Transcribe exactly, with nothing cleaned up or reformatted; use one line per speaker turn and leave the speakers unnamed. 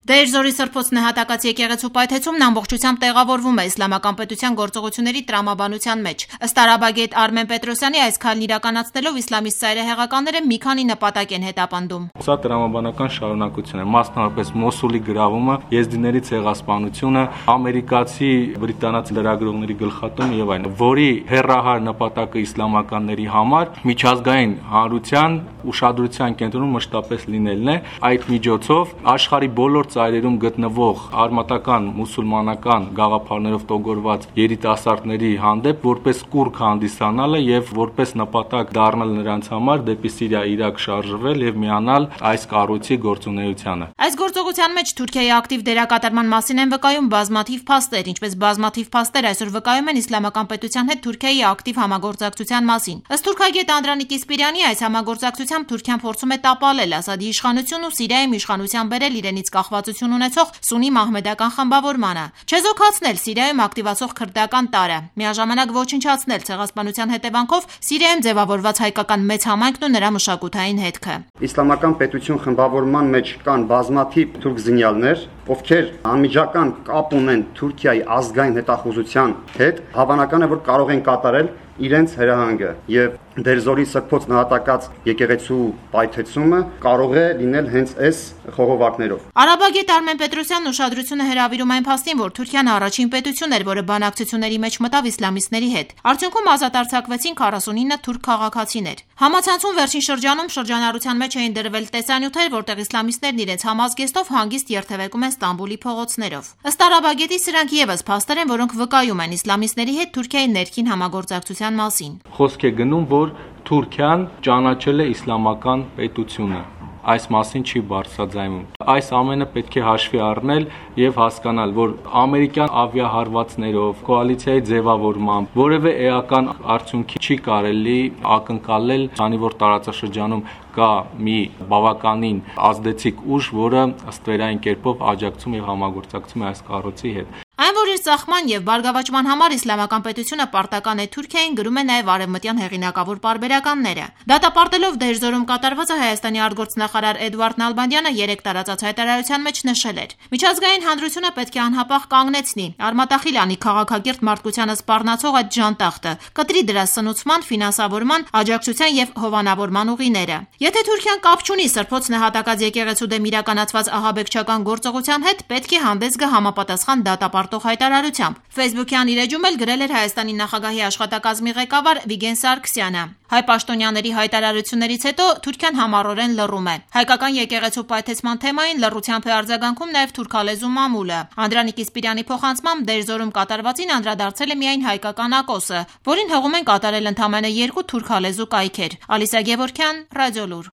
Դերձորի Սրբոց նահատակած եկեղեցու պայթեցումն ամբողջությամբ տեղավորվում է իսլամական պետության գործողությունների տրամաբանության մեջ։ Ըստ արաբագետ Արմեն Պետրոսյանի, այս քայլն իրականացնելով իսլամիստ ծայրահեղականները մի քանի նպատակ են հետապնդում։
Սա տրամաբանական շարունակություն է, մասնավորապես Մոսուլի գրավումը, եզդիների ցեղասպանությունը, ամերիկացի բրիտանացի լրագրողների գլխատումը եւ այլն, որի հերրահար նպատակը իսլամականների համար միջազգային հանրության ուշադրության կենտրոնում մշտապես լինելն է։ Այդ միջոցով աշխարհի բոլոր ծայրերում գտնվող արմատական մուսուլմանական գաղափարներով տոգորված երիտասարդների հանդեպ որպես կուռք հանդիսանալը եւ որպես նպատակ դառնալ նրանց համար դեպի Սիրիա, Իրաք շարժվել եւ միանալ այս կառույցի գործունեությանը։
Այս գործողության մեջ Թուրքիայի ակտիվ դերակատարման մասին են վկայում բազմաթիվ փաստեր, ինչպես բազմաթիվ փաստեր այսօր վկայում են իսլամական պետության հետ Թուրքիայի ակտիվ համագործակցության մասին։ Ըստ թուրքագետ Անդրանիկ Իսպիրյանի, այս համագործակցությամբ Թուրքիան փորձում է տապալել Ասադի իշխանությունն ու Սիրիայում իշխանության բերել իրենից կախվածություն ունեցող սունի մահմեդական խմբավորմանը, չեզոքացնել Սիրիայում ակտիվացող քրդական տարը, միաժամանակ ոչնչացնել ցեղասպանության հետևանքով Սիրիայում ձևավորված հայկական մեծ համայնքն ու նրա մշակութային հետքը։
Իսլամական պետություն խմբավորման մեջ կան բազմաթիվ թուրք զինյալներ, ովքեր անմիջական կապ ունեն Թուրքիայի ազգային հետախուզության հետ, հավանական է, որ կարող են կատարել իրենց հրահանգը եւ Դերձորի Սրբոց նահատակած եկեղեցու պայթեցումը կարող է լինել հենց այս խողովակներով։
Արաբագետ Արմեն Պետրոսյանն ուշադրությունը հրավիրում այն փաստին, որ Թուրքիան առաջին պետությունն էր, որը բանակցությունների մեջ մտավ իսլամիստների հետ։ Արդյունքում ազատ արձակվեցին քառասունինը թուրք քաղաքացիներ։ Համացանցում վերջին շրջանում շրջանառության մեջ էին դրվել տեսանյութեր, որտեղ իսլամիստներն իրենց համազգեստով հանգիստ երթևեկում են Ստամբուլի փողոցներով։ Ըստ արաբագետի, սրանք եւս փաստեր են, որոնք վկայում են իսլամիստների հետ Թուրքիայի ներքին համագործակցության մասին։
Խոսք է գնում, որ Թուրքիան ճանաչել է իսլամական պետությունը։ Այս մասին չի բարձրաձայնում։ Այս ամենը պետք է հաշվի առնել եւ հասկանալ, որ ամերիկյան ավիահարվածներով, կոալիցիայի ձևավորմամբ որևէ էական արդյունքի չի կարելի ակնկալել, քանի որ տարածաշրջանում կա մի բավականին ազդեցիկ ուժ, որը ստվերային կերպով աջակցում եւ համագործակցում է այս կառույցի հետ։
Այն, որ իր ծախման եւ բարգավաճման համար իսլամական պետությունը պարտական է Թուրքիային, գրում է նաեւ արևմտյան հեղինակավոր պարբերականները։ Դատապարտելով Դերձորում կատարվածը Հայաստանի արտգործնախարար Էդուարդ Նալբանդյանը երեք տարածած հայտարարության մեջ նշել էր. «Միջազգային հանրությունը պետք է անհապաղ կանգնեցնի, արմատախիլ անի քաղաքակիրթ մարդկությանը սպառնացող այդ ժանտախտը, կտրի դրա սնուցման, ֆինանսավորման, աջակցության եւ հովանավորման ուղիները։ Եթե Թուրքիան կապ չունի Սրբոց նահատակած եկեղեցու դեմ իրականացված ահաբեկչական գործողության հետ, պետք է հանդես գա համապատասխան դատապարտող հայտարարությամբ»։ Facebook-յան իր էջում էլ գրել էր Հայաստանի նախագահի աշխատակազմի ղեկավար Վիգեն Սարգսյանը։ Հայ պաշտոնյաների հայտարարություններից հետո Թուրքիան համառորեն լռում է։ Հայկական եկեղեցու պայթեցման թեմային լռությամբ է արձագանքում նաև թուրքալեզու մամուլը։ Անդրանիկ Իսպիրյանի փոխանցմամբ Դերձորում կատարվածին անդրադարձել է միայն հայկական ակոսը, որին հղում են կատարել ընդամենը երկու թուրքալեզու կայքեր։ Ալիսա Գևորգյան, Ռադիոլուր։